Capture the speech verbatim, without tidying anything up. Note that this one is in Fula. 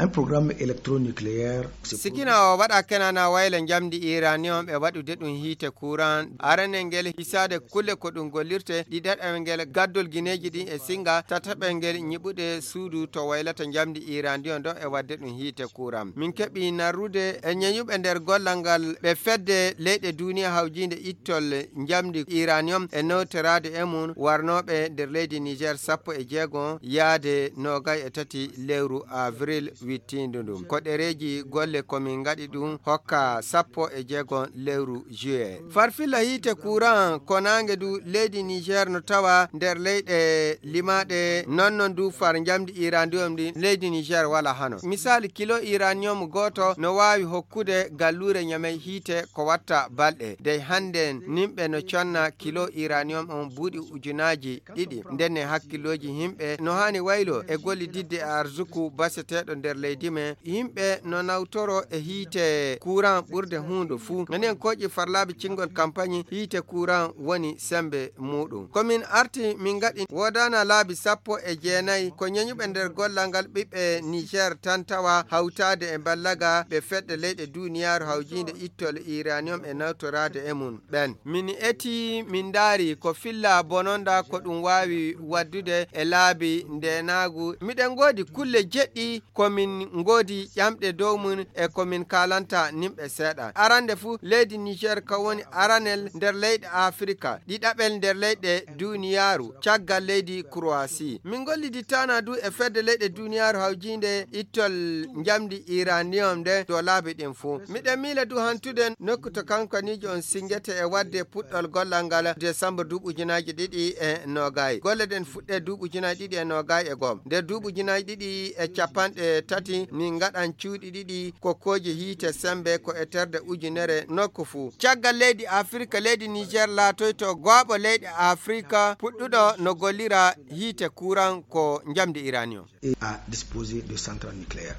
Un programme électronucléaire. Sikina o waɗa kenana wayla njamdi uranium e waɗude ɗum hiite courant. Aranel ngel hisaade kulle ko ɗum gollirte, ɗiɗaɓel ngel gaddol gineeji ɗin e singa, tataɓel ngel ñiɓude suudu to waylata njamdi uranium ɗo e waɗde ɗum hiite courant. Min keɓi narrude e ñeñuɓe nder gollal ngal ɓe fedde leyɗe duniya hawjinde ittol njamdi uranium e newtoraade e mum warnooɓe nder leydi Niger sappo e jeego yaade noogay e tati lewru avril wittiindu ndun. Ko ɗereeji golle ko min ngaɗi ɗum hokka sappo e jeego lewru juillet. Farfilla hiite courant ko naange du leydi Niger no tawa nder leyɗe limaaɗe non non du far njamdi uranium ndi leydi Niger wala hano. Misali kilo uranium gooto no waawi hokkude galluure Ñamey hiite ko watta balɗe. Dey hannde nimɓe no conna kilo uranium on buuɗi ujunaaji ɗiɗi. Ndenne hakkillooji yimɓe no haani waylo e gollididde e arsuku baseteeɗo nder leydi men. Yimɓe no nawtoro e hiite courant ɓurde huunde fuu. Enen kooƴi farlaaɓe cingol kampañi hiite courant woni sembe muuɗum. Ko min arti min ngaɗi woodana laabi sappo e jeenayi ko ñeñuɓe nder gollal ngal ɓiɓɓe Niger tan tawa hawtaade e mballaga ɓe fedde leyɗe duniyaaru hawjiinde ittol uranium e nawtoraade e mum ɓen. Min eti, min ndaari ko filla bononda ko ɗum waawi waddude e laabi ndeenaagu. Miɗen ngoodi kulle jeɗɗi ko min ngoodi ƴamɗe dow mum e ko min kaalanta nimɓe seeɗa. Arande fuu, leydi Niger ka woni aranel nder leyɗe Afirka, ɗiɗaɓel nder leyɗe duniyaaru, caggal leydi Croatie. Min ngolliditaana du e fedde leyɗe duniyaaru hawjiinde ittol njamdi uranium nde dow laabi ɗin fuu. Miɗen miila du hantude nokku to kankaniijo on singete e wadde puɗɗol gollal ngal desambar duuɓi ujunaaji ɗiɗi e noogay. Golle ɗen fuɗɗe duuɓi ujunaaji ɗiɗi e noogay e goo. Nder duuɓi ujunaaji ɗiɗi e capanɗe tati, min ngaɗan cuuɗi ɗiɗi kokkooji hiite sembe ko e terde ujunere nokku fuu. Caggal leydi Afirka, leydi Niger laatoyto gooɓo leyɗe Afirka puɗɗuɗo no gollira hiite kuran ko njamdi uranium. Et à disposer de centrales nucléaires.